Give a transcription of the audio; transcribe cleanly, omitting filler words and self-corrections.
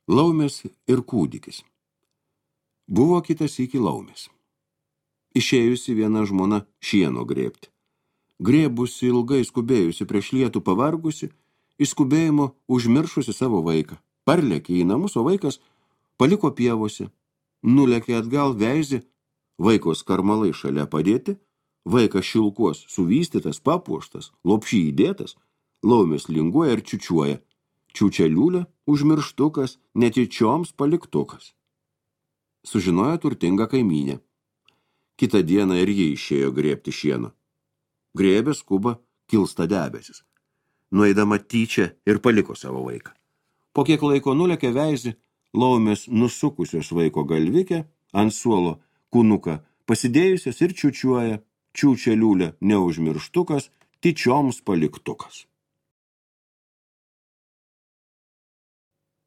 Laumės ir kūdikis. Buvo kitas iki laumės. Išėjusi viena žmona šieno grėbti. Grėbusi ilgai skubėjusi prieš lietų pavargusi, iš skubėjimo užmiršusi savo vaiką. Parlėkė į namus, o vaikas paliko pievose. Nulėkė atgal veizį, vaikos karmalai šalia padėti, vaikas šilkuos suvystytas, papuoštas, lopšį įdėtas, laumės linguoja ir čiučiuoja. Čiučia liūlė, užmirštukas, netyčioms paliktukas. Sužinojo turtinga kaimynė. Kitą dieną ir ji išėjo grėbti šieno. Grėbė skuba, kilsta debesis. Nueidama tyčia ir paliko savo vaiką. Po kiek laiko nulėkė veizį, laumės nusukusios vaiko galvikę, ant suolo kūnuką pasidėjusios ir čiučiuoja, čiučia liūlė neužmirštukas, tyčioms paliktukas.